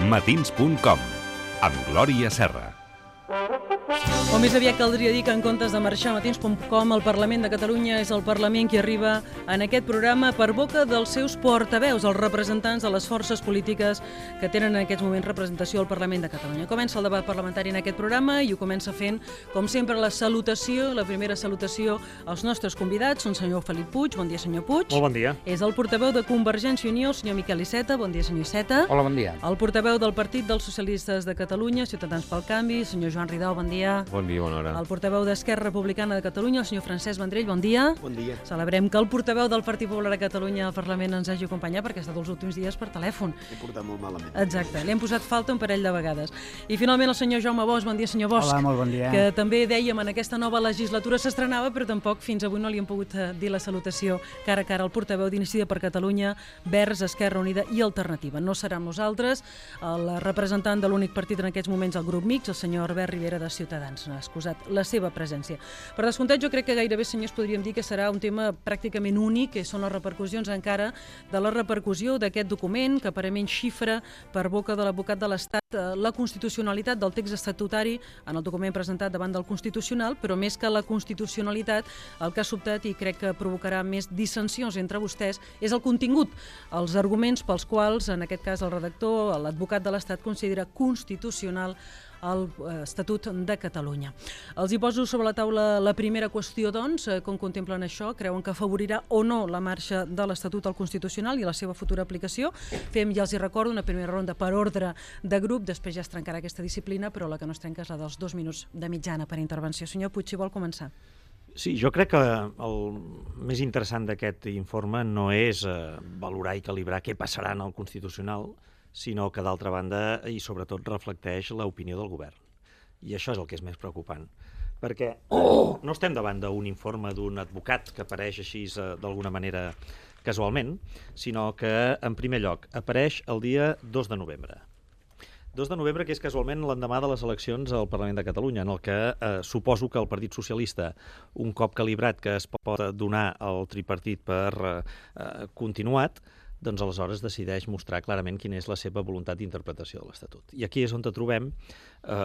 Matins.com, amb Glòria Serra. O més aviat caldria dir que en comptes de marxar a Matins.com, el Parlament de Catalunya és el Parlament qui arriba en aquest programa per boca dels seus portaveus, els representants de les forces polítiques que tenen en aquests moments representació al Parlament de Catalunya. Comença el debat parlamentari en aquest programa i ho comença fent, com sempre, la primera salutació als nostres convidats, un senyor Felip Puig. Bon dia, senyor Puig. Molt bon dia. És el portaveu de Convergència i Unió, el senyor Miquel Iceta. Bon dia, senyor Iceta. Hola, bon dia. El portaveu del Partit dels Socialistes de Catalunya, Ciutadans pel Canvi, el senyor Joan Ridao. Bon dia. Bon dia, bona hora. El portaveu d'Esquerra Republicana de Catalunya, el senyor Francesc Vendrell, bon dia. Bon dia. Celebrem que el portaveu del Partit Popular a Catalunya al Parlament ens hagi acompanyat perquè ha estat els últims dies per telèfon. He portat molt malament. Exacte, li hem posat falta un parell de vegades. I finalment el senyor Jaume Bosch, bon dia, senyor Bosch. Hola, molt bon dia. Que també dèiem en aquesta nova legislatura s'estrenava, però tampoc fins avui no li hem pogut dir la salutació cara a cara al portaveu d'Iniciativa per Catalunya, Verds, Esquerra Unida i Alternativa. No serà amb nosaltres el representant de l'únic partit en aquests moments, el grup mixt, el senyor Albert Rivera de Ciutadans. Ha excusat la seva presència. Per descomptat, jo crec que gairebé, senyors, podríem dir que serà un tema pràcticament únic, que són les repercussions encara de la repercussió d'aquest document, que aparentment xifra per boca de l'advocat de l'Estat la constitucionalitat del text estatutari en el document presentat davant del Constitucional, però més que la constitucionalitat, el que ha sobtat i crec que provocarà més dissensions entre vostès és el contingut, els arguments pels quals, en aquest cas el redactor, l'advocat de l'Estat, considera constitucional l'Estatut de Catalunya. Els hi poso sobre la taula la primera qüestió, doncs, com contemplen això, creuen que afavorirà o no la marxa de l'Estatut al Constitucional i la seva futura aplicació. Fem, ja els hi recordo, una primera ronda per ordre de grup, després ja es trencarà aquesta disciplina, però la que no es trenca és la dels 2 minuts de mitjana per intervenció. Senyor Puig, si vol començar. Sí, jo crec que el més interessant d'aquest informe no és valorar i calibrar què passarà en el Constitucional, sinó que, d'altra banda, i sobretot reflecteix l'opinió del govern. I això és el que és més preocupant, perquè no estem davant d'un informe d'un advocat que apareix així d'alguna manera casualment, sinó que, en primer lloc, apareix el dia 2 de novembre. 2 de novembre, que és casualment l'endemà de les eleccions al Parlament de Catalunya, en el que suposo que el Partit Socialista, un cop calibrat que es pot donar al tripartit per continuat, doncs aleshores decideix mostrar clarament quina és la seva voluntat d'interpretació de l'Estatut. I aquí és on trobem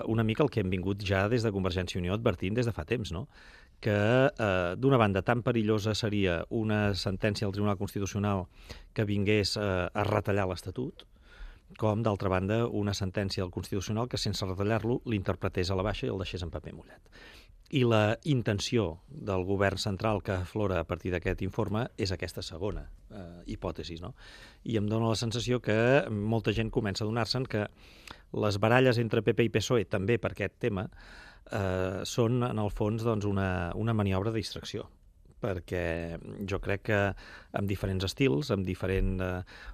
una mica el que hem vingut ja des de Convergència i Unió advertint des de fa temps, no? Que d'una banda tan perillosa seria una sentència del Tribunal Constitucional que vingués a retallar l'Estatut, com, d'altra banda, una sentència del Constitucional que, sense retallar-lo, l'interpretés a la baixa i el deixés en paper mullat. I la intenció del govern central que aflora a partir d'aquest informe és aquesta segona hipòtesi, no? I em dóna la sensació que molta gent comença a donar-se'n que les baralles entre PP i PSOE, també per aquest tema, són, en el fons, doncs, una maniobra de distracció, perquè jo crec que amb diferents estils, amb diferent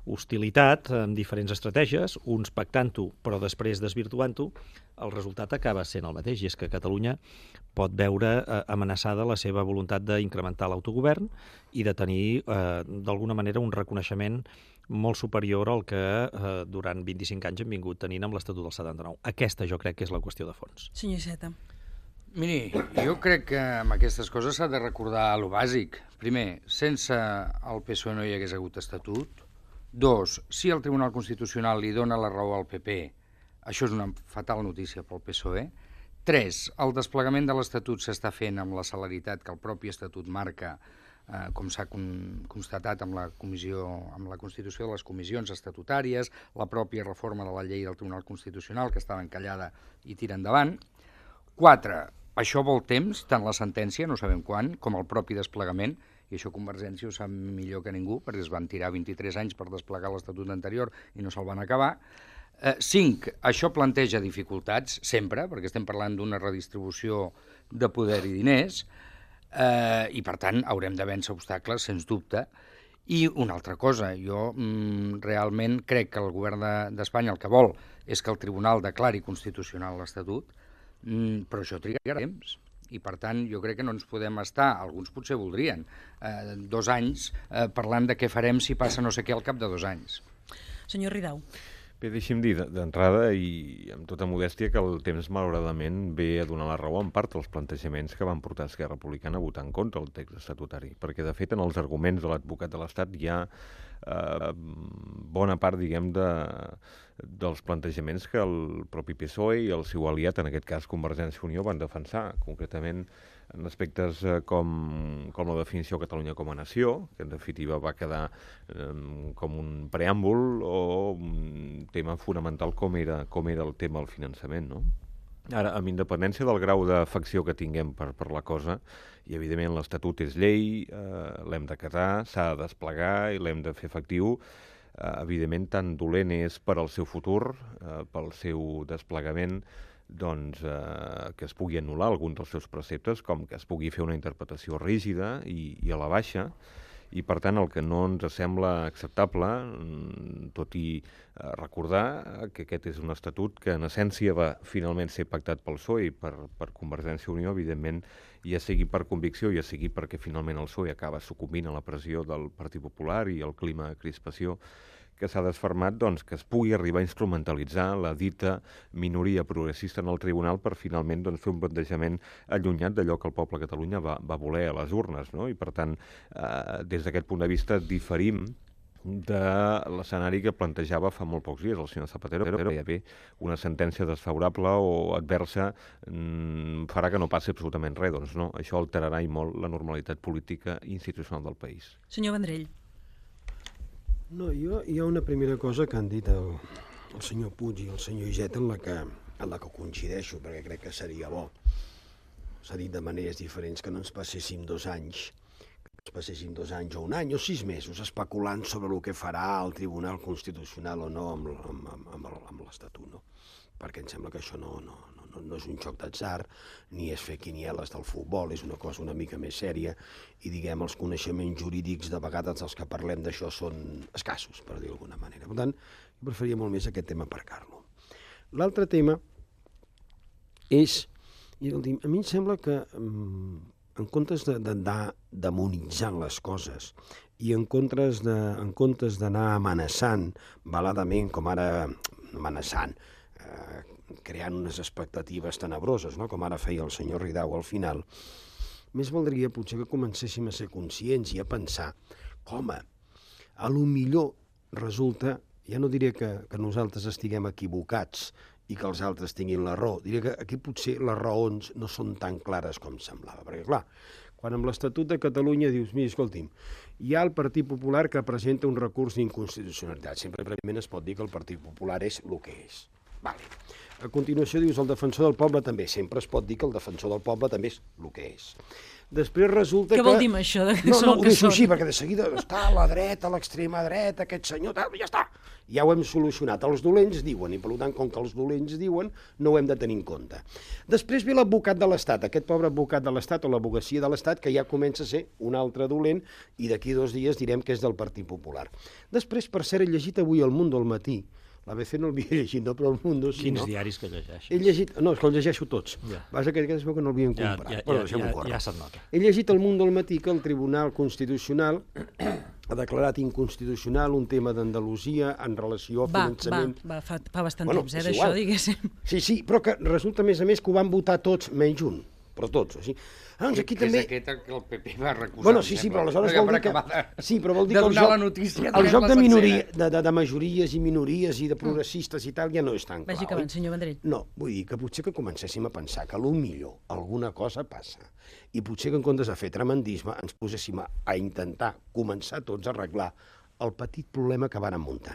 hostilitat, amb diferents estratègies, uns pactant-ho però després desvirtuant-ho, el resultat acaba sent el mateix, i és que Catalunya pot veure amenaçada la seva voluntat d'incrementar l'autogovern i de tenir, d'alguna manera, un reconeixement molt superior al que durant 25 anys hem vingut tenint amb l'Estatut del 79. Aquesta jo crec que és la qüestió de fons. Senyor Iceta. Miri, jo crec que amb aquestes coses s'ha de recordar lo bàsic. Primer, sense el PSOE no hi hagués hagut estatut. 2, si el Tribunal Constitucional li dona la raó al PP, això és una fatal notícia pel PSOE. 3, el desplegament de l'Estatut s'està fent amb la celeritat que el propi Estatut marca, com s'ha constatat amb la Constitució de les comissions estatutàries, la pròpia reforma de la llei del Tribunal Constitucional, que estava encallada i tira endavant. 4, això vol temps, tant la sentència, no sabem quan, com el propi desplegament, i això Convergència ho sap millor que ningú, perquè es van tirar 23 anys per desplegar l'Estatut anterior i no se'l van acabar. 5, això planteja dificultats, sempre, perquè estem parlant d'una redistribució de poder i diners, i per tant haurem de vèncer obstacles, sens dubte. I una altra cosa, jo realment crec que el govern d'Espanya el que vol és que el tribunal declari constitucional l'Estatut, però això trigarà temps. I, per tant, jo crec que no ens podem estar, alguns potser voldrien, 2 anys parlant de què farem si passa no sé què al cap de 2 anys. Senyor Ridao. Bé, deixi'm dir d'entrada i amb tota modèstia que el temps malauradament ve a donar la raó en part als plantejaments que van portar Esquerra Republicana a votar en contra del text estatutari, perquè de fet en els arguments de l'advocat de l'Estat hi ha bona part, diguem, dels plantejaments que el propi PSOE i el seu aliat, en aquest cas Convergència i Unió, van defensar, concretament en aspectes com la definició de Catalunya com a nació, que en definitiva va quedar com un preàmbul, o un tema fonamental com era el tema del finançament, no? Ara, amb independència del grau d'afecció que tinguem per la cosa, i evidentment l'Estatut és llei, l'hem d'acatar, s'ha de desplegar i l'hem de fer efectiu, evidentment tan dolent és per al seu futur, pel seu desplegament, doncs, que es pugui anul·lar algun dels seus preceptes, com que es pugui fer una interpretació rígida i a la baixa, i per tant el que no ens sembla acceptable, tot i recordar que aquest és un estatut que en essència va finalment ser pactat pel PSOE i per Convergència i Unió, evidentment, ja sigui per convicció, ja sigui perquè finalment el PSOE acaba sucumbint a la pressió del Partit Popular i el clima de crispació que s'ha desfermat, doncs, que es pugui arribar a instrumentalitzar la dita minoria progressista en el tribunal per finalment fer un plantejament allunyat d'allò que el poble de Catalunya va voler a les urnes, no? I per tant, des d'aquest punt de vista, diferim de l'escenari que plantejava fa molt pocs dies el senyor Zapatero, però ja ve una sentència desfavorable o adversa farà que no passi absolutament res. Doncs no, això alterarà i molt la normalitat política i institucional del país. Senyor Vendrell. No, hi ha una primera cosa que han dit el senyor Puig i el senyor Iceta en la que coincideixo, perquè crec que seria bo. S'ha dit de maneres diferents que no ens passéssim 2 anys, o 1 any o 6 mesos especulant sobre el que farà el Tribunal Constitucional o no amb l'Estatut, no? Perquè em sembla que això no és un joc d'atzar, ni és fer quinieles del futbol, és una cosa una mica més sèria i, diguem, els coneixements jurídics de vegades els que parlem d'això són escassos, per dir d'alguna manera. Per tant, jo preferiria molt més aquest tema aparcar-lo. L'altre tema és, a mi em sembla que en comptes d'anar demonitzant les coses i en comptes d'anar amenaçant veladament, com ara amenaçant, creant unes expectatives tenebroses, no? Com ara feia el senyor Ridao al final, més valdria potser que comencéssim a ser conscients i a pensar com a lo millor resulta, ja no diré que nosaltres estiguem equivocats i que els altres tinguin la raó, diré que aquí potser les raons no són tan clares com semblava, perquè clar, quan amb l'Estatut de Catalunya dius, mira, escolti'm, hi ha el Partit Popular que presenta un recurs d'inconstitucionalitat, sempre prèviament es pot dir que el Partit Popular és el que és. Vale. A continuació dius el defensor del poble també. Sempre es pot dir que el defensor del poble també és el que és. Després resulta que... Què vol dir això? No, ho deixo així, perquè de seguida està a la dreta, a l'extrema dreta, aquest senyor, tal, ja està. Ja ho hem solucionat. Els dolents diuen, i per tant, com que els dolents diuen, no ho hem de tenir en compte. Després ve l'advocat de l'Estat, aquest pobre advocat de l'Estat o l'advocacia de l'Estat, que ja comença a ser un altre dolent, i d'aquí 2 dies direm que és del Partit Popular. Després, per cert, he llegit avui El Mundo al matí. L'ABC no l'havia llegit, no, però El Mundo sí, Quins no? diaris que llegeixes? He llegit... No, és que els llegeixo tots. Ja. Vas que es veu que no l'havien comprat. Ja se't nota. He llegit El Mundo al matí que el Tribunal Constitucional ha declarat inconstitucional un tema d'Andalusia en relació a finançament... Fa bastant temps, d'això, diguéssim. Sí, però que resulta, a més, que ho van votar tots, menys un. Però tots, així. Doncs aquí també... És aquest que el PP va recusar. Bueno, sí, però aleshores vol dir que... Sí, però vol dir que el joc de majories i minories i de progressistes i tal ja no és tan clar. Vagi acabant, senyor Vendrell. No, vull dir que potser que comencéssim a pensar que potser alguna cosa passa i potser que en comptes de fer tremendisme ens poséssim a intentar començar tots a arreglar el petit problema que varen muntar.